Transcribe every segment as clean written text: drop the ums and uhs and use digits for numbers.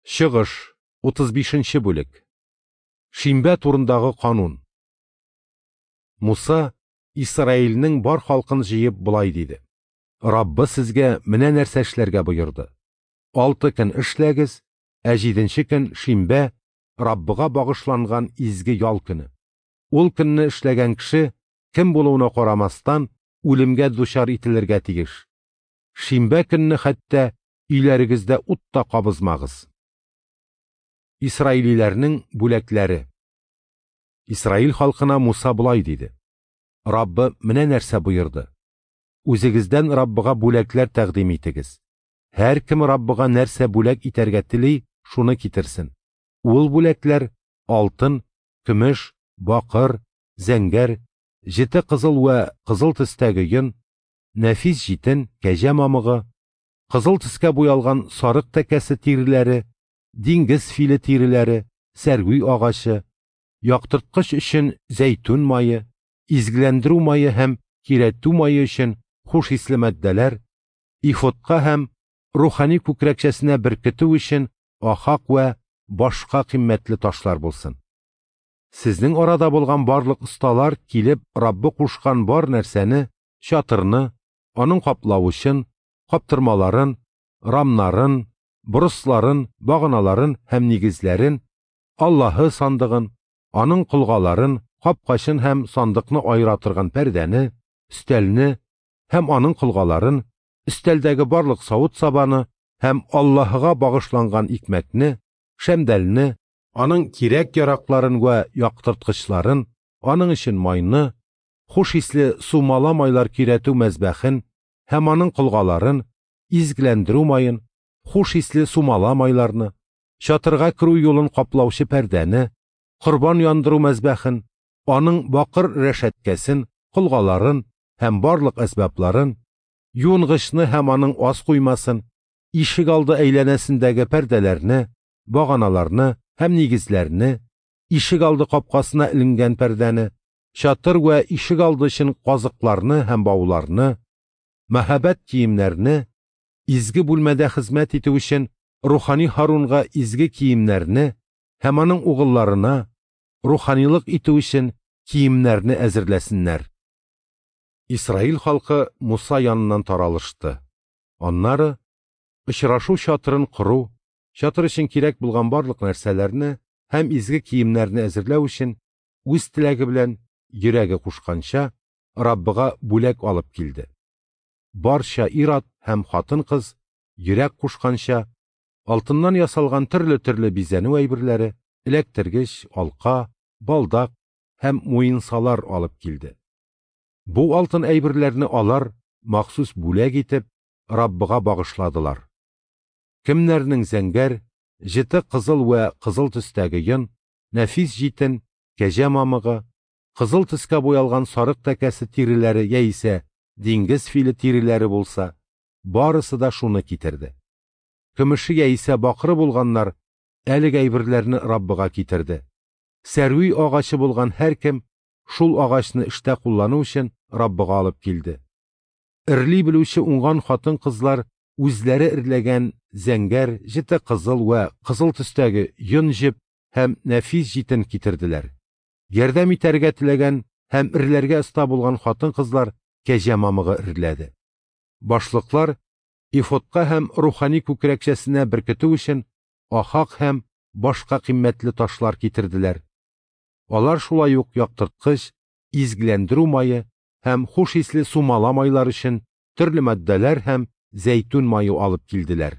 Чыгыш, 35 нче бүлек. Шимбә турындагы канун. Муса Исраилнең бар халкын җыеп болай диде: Раббы сезгә менә нәрсә эшләргә боерды. Алты көн эшләгез, ә җиденче көн шимбә, Раббыга багышланган изге ял көне. Ул көнне эшләгән кеше, кем булуына карамастан, үлемгә дучар ителергә тиеш. Шимбә көнне хәтта өйләрегездә ут та кабызмагыз. Исраилиләрнең бүләкләре. Исраил халкына Муса болай диде: Раббы менә нәрсә боерды. Үзегездән Раббыга бүләкләр тәкъдим итегез. Һәркем Раббыга нәрсә бүләк итәргә тели, шуны китерсен. Ул бүләкләр алтын, көмеш, бакыр, зәңгәр, җете кызыл вә кызыл төстәге йон, нәфис җитен, кәҗә мамыгы, кызыл төскә буялган сарык тәкәсе тиреләре, диңгез филе тиреләре, сәрви агачы, яктырткыч өчен зәйтүн мае, изгеләндерү мае һәм көйрәтү мае өчен хуш исле матдәләр, ифодка һәм рухани күкрәкчәсенә беркетү өчен ахак вә башка кыйммәтле ташлар булсын. Сезнең арада булган барлык осталар килеп Раббы кушкан бар нәрсәне, чатырны, аның каплавычын, каптырмаларын, рамнарын, борысларын, баганаларын һәм нигезләрен, Аллаһы сандыгын, аның колгаларын, капкачын һәм сандыкны аера торган пәрдәне, өстәлне һәм аның колгаларын, өстәлдәге барлык савыт-сабаны һәм Аллаһыга багышланган икмәкне, шәмдәлне, аның кирәк-яракларын вә яктырткычларын, аның өчен майны, хуш исле сумала майлар көйрәтү мәзбәхен һәм аның колгаларын, изгеләндерү маен, хуш исле сумала майларны, чатырга керү юлын каплаучы пәрдәне, корбан яндыру мәзбәхен, аның бакыр рәшәткәсен, колгаларын һәм барлык әсбапларын, юынгычны һәм аның ас куймасын, ишек алды әйләнәсендәге пәрдәләрне, баганаларны һәм нигезләрне, ишек алды капкасына эленгән пәрдәне, чатыр вә ишек алды өчен казыкларны һәм бауларны, мәһабәт киемнәрне, изге бүлмәдә хезмәт итү өчен рухани Һарунга изге киемнәрне һәм аның угылларына руханилык итү өчен киемнәрне әзерләсеннәр. Исраил халкы Муса яныннан таралышты. Аннары очрашу чатырын кору, чатыр өчен кирәк булган барлык нәрсәләрне һәм изге киемнәрне әзерләү өчен үз теләге белән йөрәге кушканча Раббыга бүләк алып килде. Барча ир-ат һәм хатын-кыз йөрәк кушканча алтыннан ясалган төрле-төрле бизәнү әйберләре, эләктергеч, алка, балдак һәм муенсалар алып килде. Бу алтын әйберләрне алар махсус бүләк итеп Раббыга багышладылар. Кемнәрнең зәңгәр, җете кызыл вә кызыл төстәге йон, нәфис җитен, кәҗә мамыгы, кызыл төскә буялган сарык тәкәсе тиреләре яисә диңгез филе тиреләре булса, барысы да шуны китерде. Көмеше яисә бакыры булганнар әлеге әйберләрне Раббыга китерде. Сәрви агачы булган һәркем шул агачны эштә куллану өчен Раббыга алып килде. Эрли белүче уңган хатын-кызлар үзләре эрләгән зәңгәр, җете кызыл вә кызыл төстәге йон җеп һәм нәфис җитен китерделәр. Ярдәм итәргә теләгән һәм эрләргә оста булган хатын-кызлар кәҗә мамыгы эрләде. Башлыклар ифодка һәм рухани күкрәкчәсенә беркетү өчен ахак һәм башка кыйммәтле ташлар китерделәр. Алар шулай ук яктырткыч, изгеләндерү мае һәм хуш исле сумала майлар өчен төрле матдәләр һәм зәйтүн мае алып килделәр.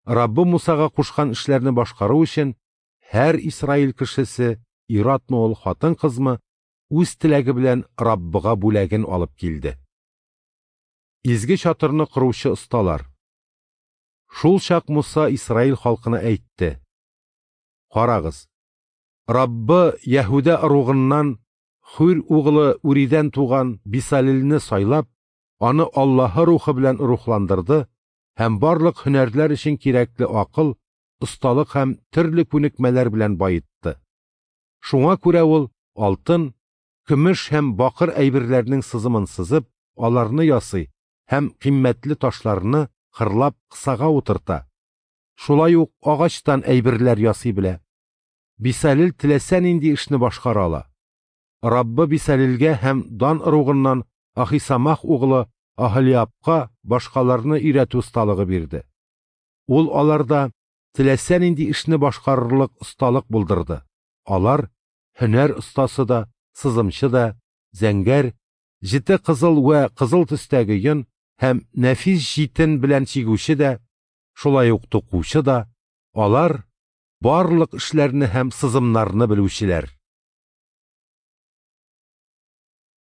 Раббы Мусага кушкан эшләрне башкару өчен һәр Исраил кешесе, ир-атмы ул, хатын-кызмы, үз теләге белән Раббыга бүләген алып килде. Изге чатырны коручы осталар. Шул чак Муса Исраил халкына әйтте: Карагыз, Раббы Яһүдә ыругыннан Хур углы Уридән туган Бисалилне сайлап, аны Аллаһы рухы белән рухландырды һәм барлык һөнәрләр өчен кирәкле акыл, осталык һәм төрле күнекмәләр белән баетты. Шуңа күрә ул алтын, көмеш һәм бакыр әйберләрнең сызымын сызып, аларны ясый һәм кыйммәтле ташларны кырлап кысага утырта. Шулай ук агачтан әйберләр ясый белә. Бисалел теләсә нинди эшне башкара ала. Раббы Бисалелгә һәм Дан ыругыннан Ахисамах углы Аһолиабка башкаларны өйрәтү осталыгы бирде. Ул аларда теләсә нинди эшне башкарырлык осталык булдырды. Алар һөнәр остасы да, сызымчы да, зәңгәр, җете кызыл вә кызыл төстәге йон һәм нәфис җитен белән чигүче дә, шулай ук тукучы да, алар барлык эшләрне һәм сызымнарны белүчеләр.